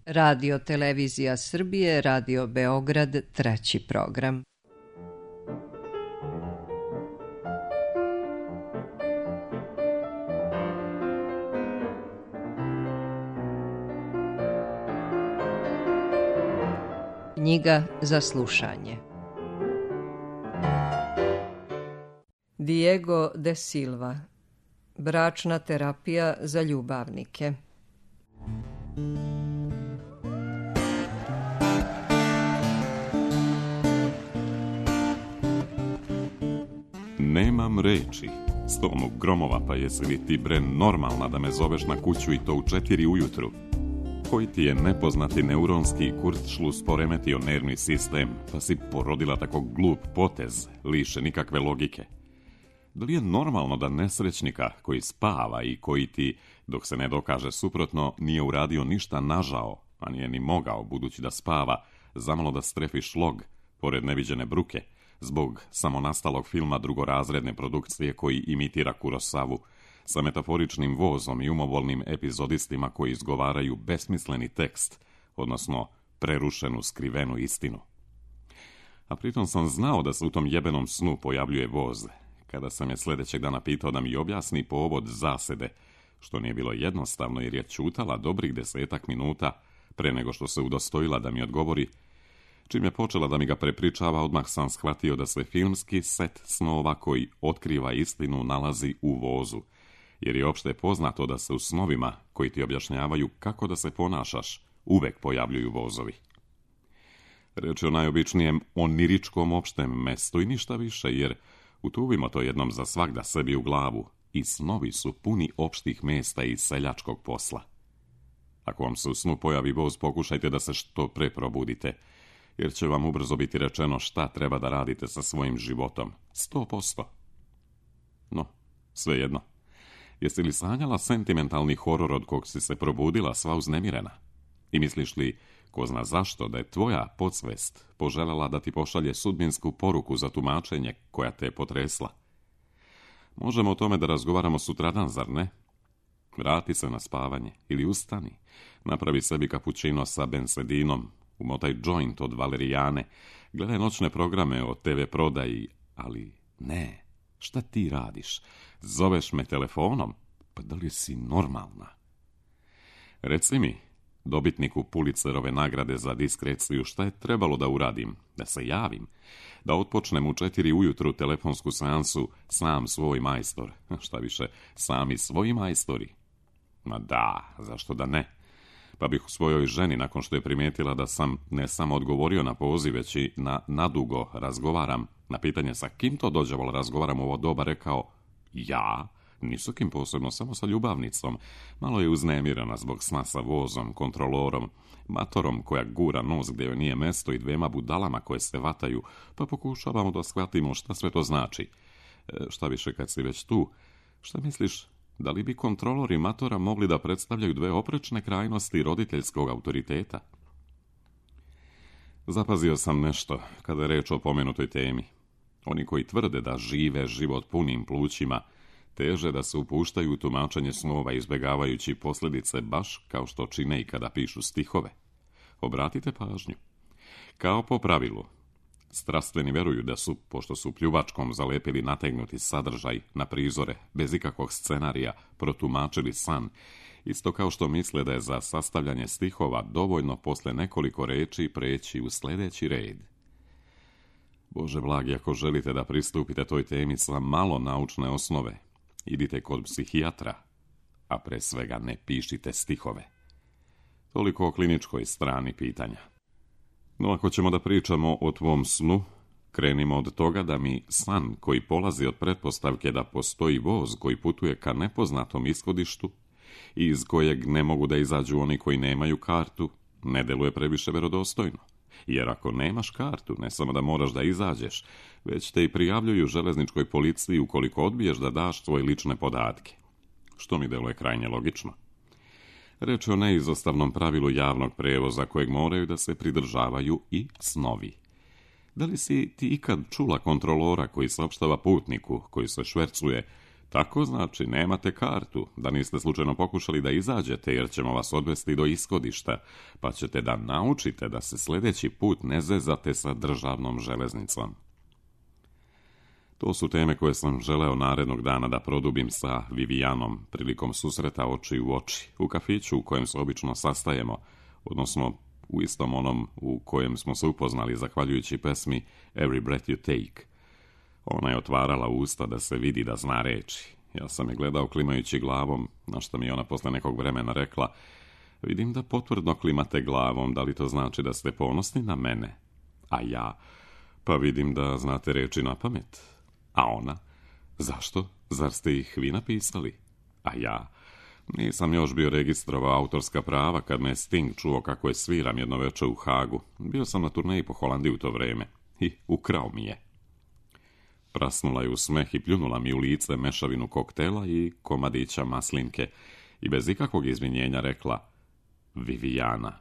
Radio Televizija Srbije, Radio Beograd, treći program. Knjiga za slušanje. Diego de Silva. Bračna terapija za ljubavnike. Nemam reči. Stonu gromova, pa jesi li ti bre normalna da me zoveš na kuću i to u 4 ujutru? Koji ti je nepoznati neuronski kurtšlus poremetio nervni sistem, pa si porodila tako glup potez, liše nikakve logike? Da li je normalno da nesrećnika koji spava i koji ti, dok se ne dokaže suprotno, nije uradio ništa nažao, a nije ni mogao, budući da spava, zamalo da strefi šlog, pored neviđene bruke, zbog samonastalog filma drugorazredne produkcije koji imitira Kurosavu, sa metaforičnim vozom i umobolnim epizodistima koji izgovaraju besmisleni tekst, odnosno prerušenu skrivenu istinu. A pritom sam znao da se u tom jebenom snu pojavljuje voz, kada sam je sljedećeg dana pitao da mi objasni povod zasede, što nije bilo jednostavno jer je ćutala dobrih 10 minuta pre nego što se udostojila da mi odgovori. Čim je počela da mi ga prepričava, odmah sam shvatio da se filmski set snova koji otkriva istinu nalazi u vozu, jer je opšte poznato da se u snovima koji ti objašnjavaju kako da se ponašaš uvek pojavljuju vozovi. Reč je o najobičnijem oniričkom opštem mestu i ništa više, jer utuvimo to jednom za svagda sebi u glavu i snovi su puni opštih mesta i seljačkog posla. Ako vam se u snu pojavi voz, pokušajte da se što pre probudite, jer će vam ubrzo biti rečeno šta treba da radite sa svojim životom. 100%. No, svejedno. Jesi li sanjala sentimentalni horor od kog si se probudila sva uznemirena? I misliš li, ko zna zašto, da je tvoja podsvest poželjela da ti pošalje sudbinsku poruku za tumačenje koja te je potresla? Možemo o tome da razgovaramo sutradan, zar ne? Vrati se na spavanje ili ustani, napravi sebi kapućino sa bensedinom, umotaj joint od valerijane, gledaj noćne programe o TV prodaji, ali ne, šta ti radiš? Zoveš me telefonom? Pa da li si normalna? Reci mi, dobitniku Pulitzerove nagrade za diskreciju, šta je trebalo da uradim? Da se javim? Da otpočnem u 4 ujutru telefonsku seansu sam svoj majstor? Šta više, sami svoji majstori? Ma da, zašto da ne? Pa bih u svojoj ženi, nakon što je primijetila da sam ne samo odgovorio na poziv, već i nadugo razgovaram, na pitanje sa kim to dođevalo razgovaram u ovo doba, rekao: ja? Ni sa kim posebno, samo sa ljubavnicom. Malo je uznemirana zbog sna sa vozom, kontrolorom, matorom koja gura nos gdje joj nije mesto i 2 budalama koje se vataju, pa pokušavamo da shvatimo šta sve to znači. Šta više, kad si već tu, šta misliš, da li bi kontrolori matora mogli da predstavljaju 2 oprečne krajnosti roditeljskog autoriteta? Zapazio sam nešto kada je reč o pomenutoj temi. Oni koji tvrde da žive život punim plućima, teže da se upuštaju u tumačenje snova izbjegavajući posljedice baš kao što čine i kada pišu stihove. Obratite pažnju. Kao po pravilu, strastveni veruju da su, pošto su pljuvačkom zalepili nategnuti sadržaj na prizore, bez ikakvog scenarija, protumačili san, isto kao što misle da je za sastavljanje stihova dovoljno posle nekoliko reči preći u sljedeći red. Bože blagi, ako želite da pristupite toj temi sa malo naučne osnove, idite kod psihijatra, a pre svega ne pišite stihove. Toliko o kliničkoj strani pitanja. No ako ćemo da pričamo o tvom snu, krenimo od toga da mi san koji polazi od pretpostavke da postoji voz koji putuje ka nepoznatom ishodištu i iz kojeg ne mogu da izađu oni koji nemaju kartu, ne deluje previše verodostojno. Jer ako nemaš kartu, ne samo da moraš da izađeš, već te i prijavljuju železničkoj policiji ukoliko odbiješ da daš svoje lične podatke. Što mi deluje krajnje logično. Reč je o neizostavnom pravilu javnog prevoza kojeg moraju da se pridržavaju i snovi. Da li si ti ikad čula kontrolora koji saopštava putniku, koji se švercuje Tako znači, nemate kartu, da niste slučajno pokušali da izađete, jer ćemo vas odvesti do ishodišta, pa ćete da naučite da se sljedeći put ne zezate sa državnom železnicom. To su teme koje sam želeo narednog dana da produbim sa Vivijanom prilikom susreta oči u oči, u kafiću u kojem se obično sastajemo, odnosno u istom onom u kojem smo se upoznali zahvaljujući pesmi Every Breath You Take. Ona je otvarala usta da se vidi da zna reči. Ja sam je gledao klimajući glavom, na što mi je ona posle nekog vremena rekla: vidim da potvrdno klimate glavom, da li to znači da ste ponosni na mene? A ja: pa vidim da znate reči na pamet. A ona: zašto? Zar ste ih vi napisali? A ja: nisam još bio registrovao autorska prava kad me Sting čuo kako je sviram jedno veče u Hagu. Bio sam na turneji po Holandiji u to vreme i ukrao mi je. Prasnula je u smeh i pljunula mi u lice mešavinu koktela i komadića maslinke i bez ikakvog izvinjenja rekla: Vivijana.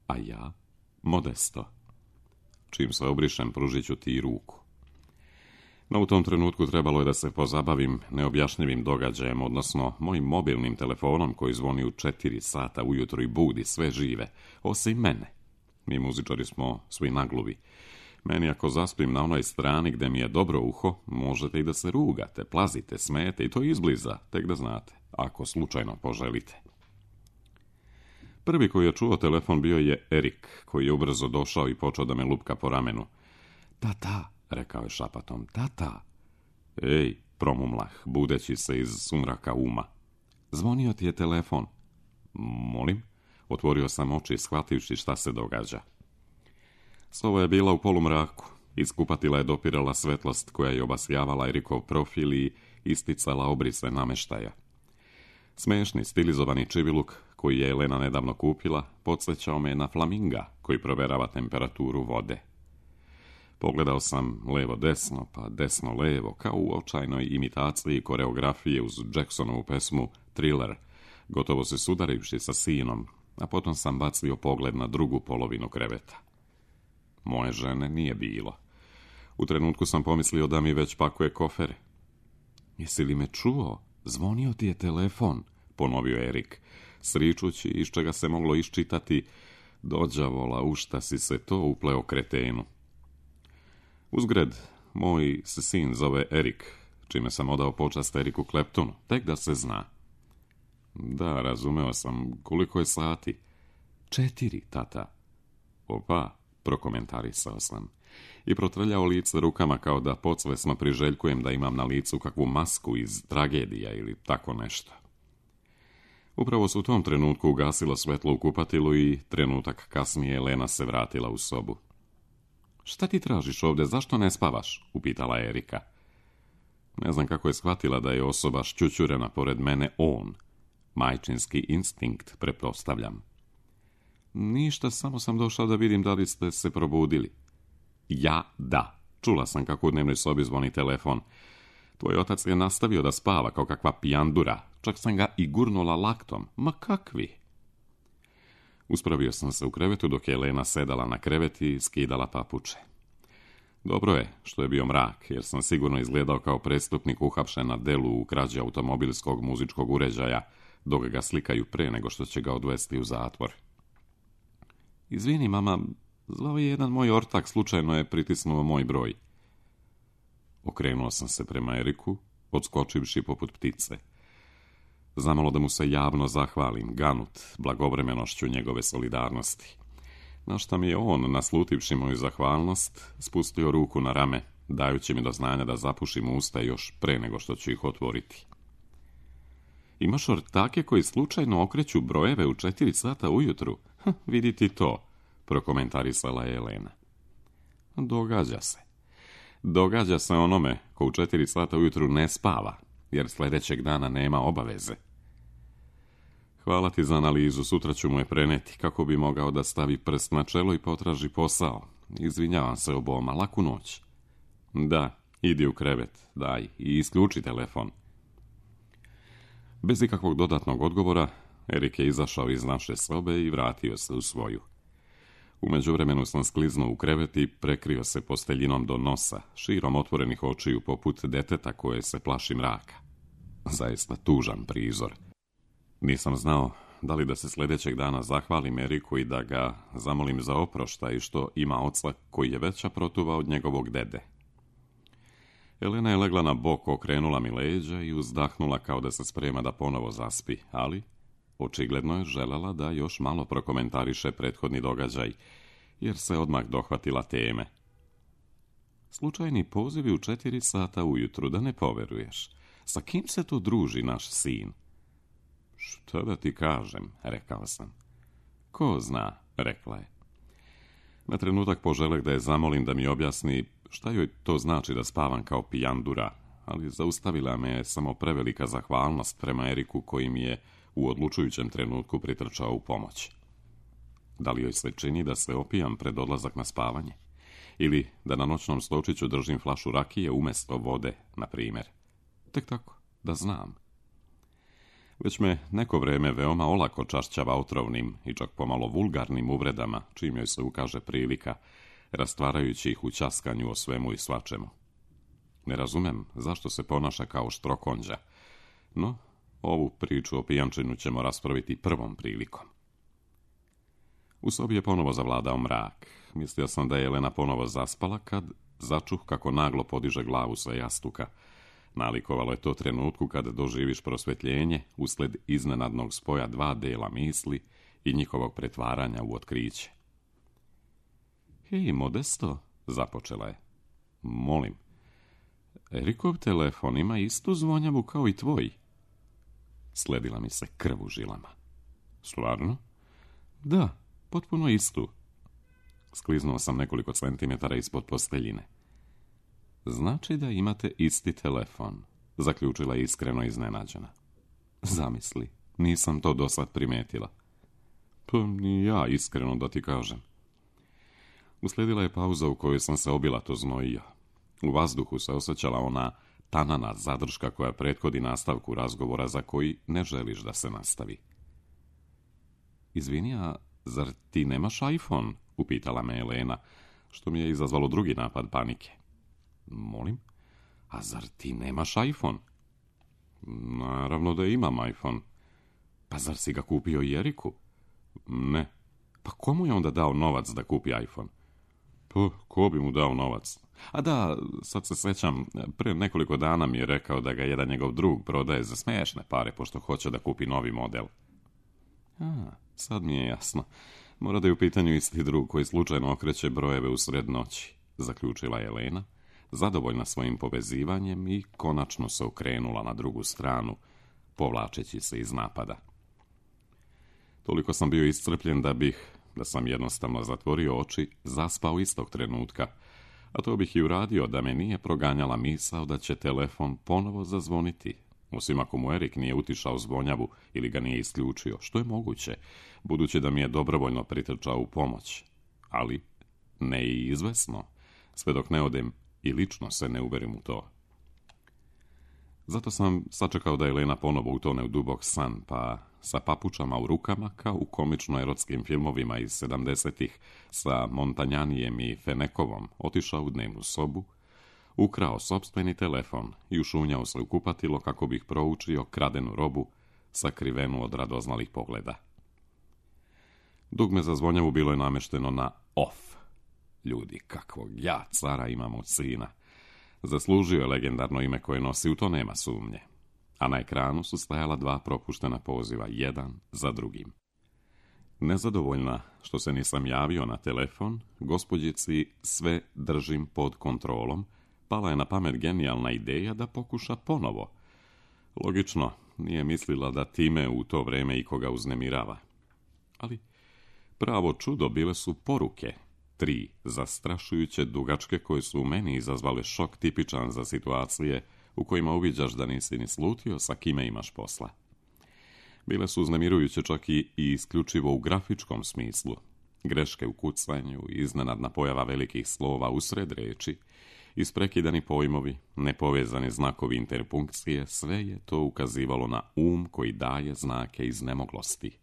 A ja: Modesto. Čim se obrišem, pružit ću ti ruku. No u tom trenutku trebalo je da se pozabavim neobjašnjivim događajem, odnosno mojim mobilnim telefonom koji zvoni u 4 sata ujutro i budi sve žive, osim mene. Mi muzičari smo svi nagluvi. Meni ako zaspim na onoj strani gde mi je dobro uho, možete i da se rugate, plazite, smete i to izbliza, tek da znate, ako slučajno poželite. Prvi koji je čuo telefon bio je Erik, koji je ubrzo došao i počeo da me lupka po ramenu. Tata, rekao je šapatom, tata. Ej, promumlah, budeći se iz sumraka uma. Zvonio ti je telefon. Molim? Otvorio sam oči, shvativši šta se događa. Sova je bila u polumraku. Iz kupatila je dopirala svetlost koja je obasjavala Erikov profil i isticala obrise nameštaja. Smešni, stilizovani čiviluk koji je Elena nedavno kupila podsjećao me na flaminga koji proverava temperaturu vode. Pogledao sam levo-desno, pa desno-levo, kao u očajnoj imitaciji koreografije uz Jacksonovu pesmu Thriller, gotovo se sudarivši sa sinom, a potom sam bacio pogled na drugu polovinu kreveta. Moje žene nije bilo. U trenutku sam pomislio da mi već pakuje kofere. Jesi li me čuo? Zvonio ti je telefon, ponovio Erik, sričući iz čega se moglo iščitati: dođavola, u šta si se to upleo kretenu. Uzgred, moj se sin zove Erik, čime sam odao počast Eriku Claptonu, tek da se zna. Da, razumeo sam. Koliko je sati? 4, tata. Opa, prokomentarisao sam i protrljao lice rukama kao da podsvesno priželjkujem da imam na licu kakvu masku iz tragedija ili tako nešto. Upravo su u tom trenutku ugasilo svetlo u kupatilu i trenutak kasnije Elena se vratila u sobu. Šta ti tražiš ovdje, zašto ne spavaš? Upitala Erika. Ne znam kako je shvatila da je osoba šćućurena pored mene on. Majčinski instinkt, pretpostavljam. Ništa, samo sam došao da vidim da li ste se probudili. Ja, da. Čula sam kako u dnevnoj sobi zvoni telefon. Tvoj otac je nastavio da spava kao kakva pijandura. Čak sam ga i gurnula laktom. Ma kakvi? Uspravio sam se u krevetu dok je Elena sedala na krevet i skidala papuče. Dobro je što je bio mrak, jer sam sigurno izgledao kao prestupnik uhapšen na delu u krađi automobilskog muzičkog uređaja, dok ga slikaju pre nego što će ga odvesti u zatvor. Izvini, mama, zvao je jedan moj ortak, slučajno je pritisnuo moj broj. Okrenuo sam se prema Eriku, odskočivši poput ptice. Zamalo da mu se javno zahvalim, ganut blagovremenošću njegove solidarnosti. Na šta mi je on, naslutivši moju zahvalnost, spustio ruku na rame, dajući mi do znanja da zapušim usta još pre nego što ću ih otvoriti. Imaš ortake koji slučajno okreću brojeve u 4 sata ujutru? Vidi ti to, prokomentarisala je Elena. Događa se. Događa se onome ko u 4 sata ujutru ne spava, jer sljedećeg dana nema obaveze. Hvala ti za analizu, sutra ću mu je preneti kako bi mogao da stavi prst na čelo i potraži posao. Izvinjavam se oboma, laku noć. Da, idi u krevet, daj, i isključi telefon. Bez ikakvog dodatnog odgovora, Erik je izašao iz naše sobe i vratio se u svoju. U međuvremenu sam skliznuo u krevet i prekrio se posteljinom do nosa, širom otvorenih očiju poput deteta koje se plaši mraka. Zaista tužan prizor. Nisam znao da li da se sljedećeg dana zahvalim Eriku i da ga zamolim za oproštaj što ima oca koji je veća protuva od njegovog dede. Elena je legla na bok, okrenula mi leđa i uzdahnula kao da se sprema da ponovo zaspi, ali očigledno je želela da još malo prokomentariše prethodni događaj, jer se odmah dohvatila teme. Slučajni pozivi u 4 sata ujutru, da ne poveruješ. Sa kim se to druži naš sin? Šta da ti kažem, rekao sam. Ko zna, rekla je. Na trenutak poželeh da je zamolim da mi objasni šta joj to znači da spavam kao pijandura, ali zaustavila me je samo prevelika zahvalnost prema Eriku koji mi je u odlučujućem trenutku pritrčao u pomoć. Da li joj se čini da se opijam pred odlazak na spavanje? Ili da na noćnom stočiću držim flašu rakije umjesto vode, na primjer? Tek tako, da znam. Već me neko vrijeme veoma olako čašćava otrovnim i čak pomalo vulgarnim uvredama, čim joj se ukaže prilika, rastvarajući ih u ćaskanju o svemu i svačemu. Ne razumem zašto se ponaša kao štrokonđa, no ovu priču o pijančinu ćemo raspraviti prvom prilikom. U sobi je ponovo zavladao mrak. Mislio sam da je Elena ponovo zaspala kad začuh kako naglo podiže glavu sa jastuka. Nalikovalo je to trenutku kada doživiš prosvjetljenje usled iznenadnog spoja 2 dela misli i njihovog pretvaranja u otkriće. Hej, Modesto, započela je. Molim, Erikov telefon ima istu zvonjavu kao i tvoj. Sledila mi se krv u žilama. Stvarno? Da, potpuno istu. Skliznuo sam nekoliko centimetara ispod posteljine. Znači da imate isti telefon, zaključila iskreno iznenađena. Zamisli, nisam to dosad primetila. Pa ni ja, iskreno da ti kažem. Uslijedila je pauza u kojoj sam se obilato znojio. U vazduhu se osjećala ona tanana zadrška koja prethodi nastavku razgovora za koji ne želiš da se nastavi. Izvini, a zar ti nemaš iPhone? Upitala me Elena, što mi je izazvalo drugi napad panike. Molim? A zar ti nemaš iPhone? Naravno da imam iPhone. Pa zar si ga kupio i Eriku? Ne. Pa komu je onda dao novac da kupi iPhone? Pa, ko bi mu dao novac? A da, sad se sjećam, prije nekoliko dana mi je rekao da ga jedan njegov drug prodaje za smiješne pare, pošto hoće da kupi novi model. Sad mi je jasno. Mora da je u pitanju isti drug koji slučajno okreće brojeve u sred noći, zaključila je Elena, zadovoljna svojim povezivanjem i konačno se okrenula na drugu stranu, povlačeći se iz napada. Toliko sam bio iscrpljen da sam jednostavno zatvorio oči, zaspao istog trenutka, a to bih i uradio da me nije proganjala misao da će telefon ponovo zazvoniti, osim ako mu Erik nije utišao zvonjavu ili ga nije isključio, što je moguće, budući da mi je dobrovoljno pritrčao u pomoć. Ali ne i izvesno, sve dok ne odem i lično se ne uverim u to. Zato sam sačekao da Elena ponovo utone u dubok san, pa sa papučama u rukama, kao u komično-erotskim filmovima iz 70-ih, sa Montanjanijem i Fenekovom, otišao u dnevnu sobu, ukrao sopstveni telefon i ušunjao se u kupatilo kako bih proučio kradenu robu, sakrivenu od radoznalih pogleda. Dugme za zvonjavu bilo je namešteno na off. Ljudi, kakvog ja cara imam od sina. Zaslužio je legendarno ime koje nosi, u to nema sumnje. A na ekranu su stajala 2 propuštena poziva, jedan za drugim. Nezadovoljna što se nisam javio na telefon, gospođici sve držim pod kontrolom, pala je na pamet genijalna ideja da pokuša ponovo. Logično, nije mislila da time u to vrijeme ikoga uznemirava. Ali pravo čudo bile su poruke, 3 zastrašujuće dugačke koje su u meni izazvale šok tipičan za situacije u kojima uviđaš da nisi ni slutio sa kime imaš posla. Bile su uznemirujuće čak i isključivo u grafičkom smislu. Greške u kucanju, iznenadna pojava velikih slova usred reči, isprekidani pojmovi, nepovezani znakovi interpunkcije, sve je to ukazivalo na koji daje znake iznemoglosti.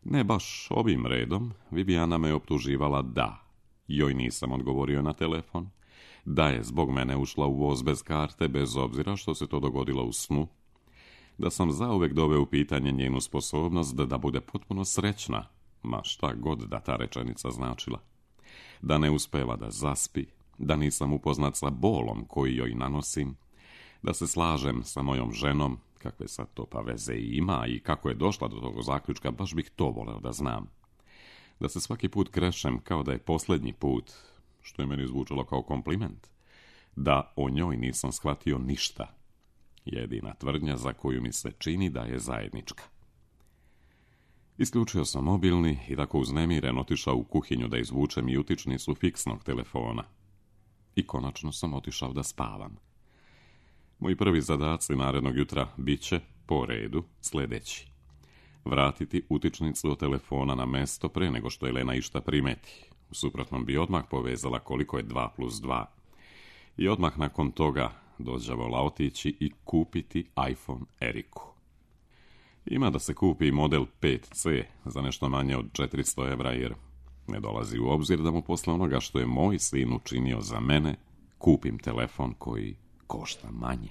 Ne baš ovim redom, Viviana me optuživala da joj nisam odgovorio na telefon, da je zbog mene ušla u voz bez karte, bez obzira što se to dogodilo u snu, da sam zauvek doveo u pitanje njenu sposobnost da bude potpuno srećna, ma šta god da ta rečenica značila, da ne uspeva da zaspi, da nisam upoznat sa bolom koji joj nanosim, da se slažem sa mojom ženom, kakve sad to pa veze ima i kako je došla do tog zaključka, baš bih to voleo da znam. Da se svaki put krešem kao da je posljednji put, što je meni zvučalo kao kompliment, da o njoj nisam shvatio ništa. Jedina tvrdnja za koju mi se čini da je zajednička. Isključio sam mobilni i tako uznemiren otišao u kuhinju da izvučem i utičnicu fiksnog telefona. I konačno sam otišao da spavam. Moji prvi zadaci narednog jutra bit će, po redu, sljedeći. Vratiti utičnicu od telefona na mesto pre nego što Elena išta primeti. U suprotnom bi odmah povezala koliko je 2 plus 2. I odmah nakon toga dođavola otići i kupiti iPhone Eriku. Ima da se kupi model 5C za nešto manje od 400 € jer ne dolazi u obzir da mu posle onoga što je moj sin učinio za mene, kupim telefon koji košta manje.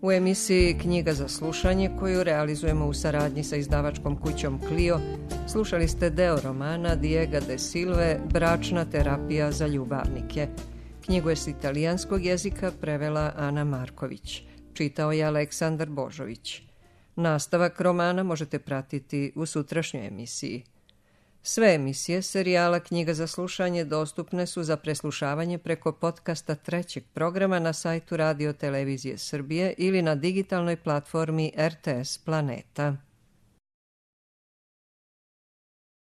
U emisiji Knjiga za slušanje, koju realizujemo u saradnji sa izdavačkom kućom Clio, slušali ste deo romana Diega de Silve Bračna terapija za ljubavnike. Knjigu je s italijanskog jezika prevela Ana Marković. Čitao je Aleksandar Božović. Nastavak romana možete pratiti u sutrašnjoj emisiji. Sve emisije serijala Knjiga za slušanje dostupne su za preslušavanje preko podcasta 3. programa na sajtu Radio Televizije Srbije ili na digitalnoj platformi RTS Planeta.